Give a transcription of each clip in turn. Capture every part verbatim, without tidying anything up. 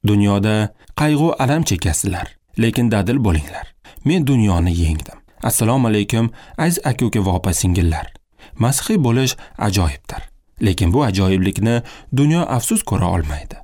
Dunyoda qayg'u alam chekasizlar, lekin dadil bo'linglar. Men dunyoni yengdim. Assalomu alaykum aziz aka-uka va opa-singillar. Masihiy bo'lish ajoyibdir. Lekin bu ajoyiblikni dunyo afsus ko'ra olmaydi.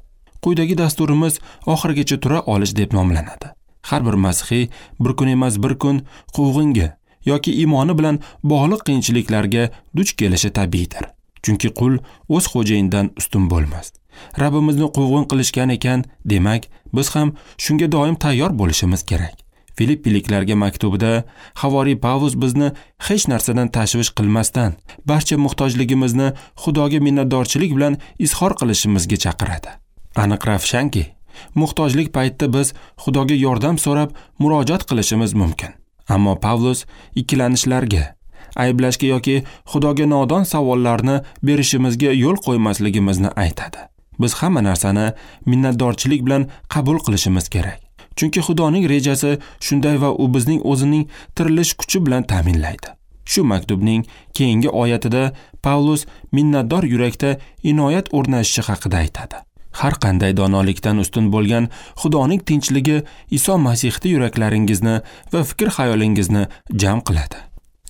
Quyidagi dasturimiz oxirigacha tura olish deb nomlanadi. Har bir masihiy bir kun emas bir kun quvg'inga yoki iymoni bilan bog'liq qiyinchiliklarga duch kelishi tabiiydir. Chunki qul o'z xo'jayinidan ustun bo'lmas. Rabbimizni quvg'in qilishgan ekan, demak, biz ham shunga doim tayyor bo'lishimiz kerak. Filippiliklarga maktubida havoriy Pavlus bizni hech narsadan tashvish qilmasdan, barcha muhtojligimizni Xudoga minnatdorchilik bilan izhor qilishimizga chaqiradi. Aniq ravshanki, muhtojlik paytida biz Xudoga yordam so'rab murojaat qilishimiz mumkin. Ammo Pavlus ikkilanishlarga, ayblashga yoki Xudoga nodon savollarni berishimizga yo'l qo'ymasligimizni aytadi. Biz hamma narsani minnatdorchilik bilan qabul qilishimiz kerak. Chunki Xudoning rejasi shunday va u bizning o'zining tirilish kuchi bilan ta'minlaydi. Shu maktubning keyingi oyatida Pavlus minnatdor yurakda inoyat o'rnashishi haqida aytadi. Har qanday donolikdan ustun bo'lgan Xudoning tinchligi Iso Masihda yuraklaringizni va fikr-xayolingizni jam qiladi.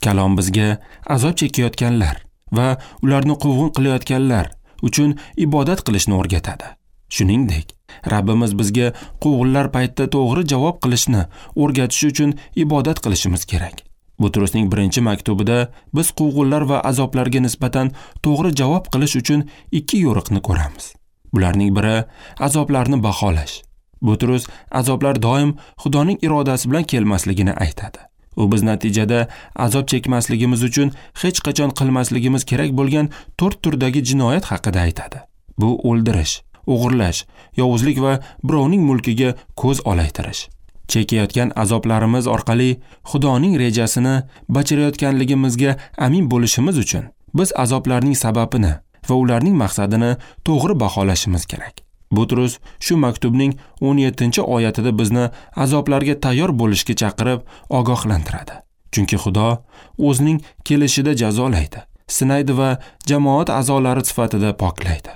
Kalom bizga azob chekayotganlar va ularni quvg'in qilayotganlar uchun ibodat qilishni o'rgatadi. Shuningdek, Rabbimiz bizga quvg'inlar paytida to'g'ri javob qilishni o'rgatish uchun ibodat qilishimiz kerak. Butrusning birinchi maktubida biz quvg'inlar va azoblarga nisbatan to'g'ri javob qilish uchun ikki yo'riqni ko'ramiz. Bularning biri azoblarni baholash. Butrus azoblar doim Xudoning irodasi bilan kelmasligini aytadi. U biz natijada azob chekmasligimiz uchun hech qachon qilmasligimiz kerak bo'lgan to'rt turdagi jinoyat haqida aytadi. Bu o'ldirish, o'g'irlash, yovuzlik va birovning mulkiga ko'z olaytirish. Chekayotgan azoblarimiz orqali Xudoning rejasini bajarayotganligimizga amin bo'lishimiz uchun biz azoblarning sababini va ularning maqsadini to'g'ri baholashimiz kerak. Butrus shu maktubning o'n yettinchi oyatida bizni azoblarga tayyor bo'lishga chaqirib ogohlantiradi. Chunki Xudo o'zining kelishida jazolaydi, sinaydi va jamoat a'zolari sifatida poklaydi.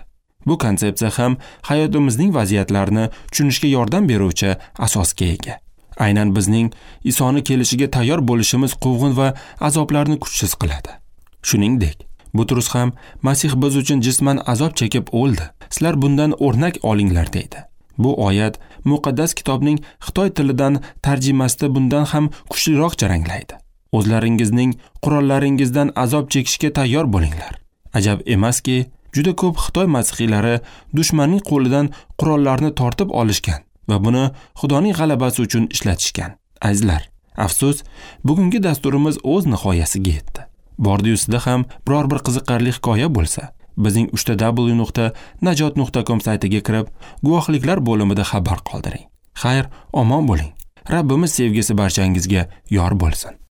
Bu konsepsiya ham hayotimizning vaziyatlarini tushunishga yordam beruvchi asosga ega. Aynan bizning Isoni kelishiga tayyor bo'lishimiz quvg'in va azoblarni kuchsiz qiladi. Shuningdek, Butrus ham Masih biz uchun jisman azob chekib o'ldi. Sizlar bundan o'rnak olinglar deydi. Bu oyat muqaddas kitobning Xitoy tilidan tarjimasida bundan ham kuchliroq jaranglaydi. O'zlaringizning qurollaringizdan azob chekishga tayyor bo'linglar. Ajab emaski, juda ko'p Xitoy masihiylari dushmanning qo'lidan qurollarni tortib olishgan va buni Xudoning g'alabasi uchun ishlatishgan. Azizlar, afsus, bugungi dasturimiz o'z nihoyasiga yetdi. Bordi-yu sizda ham biror bir qiziqarli hikoya bo'lsa, bizning uchta w nuqta najot nuqta com saytiga kirib, guvohliklar bo'limida xabar qoldiring. Xayr, omon bo'ling. Rabbimiz sevgisi barchangizga yor bo'lsin.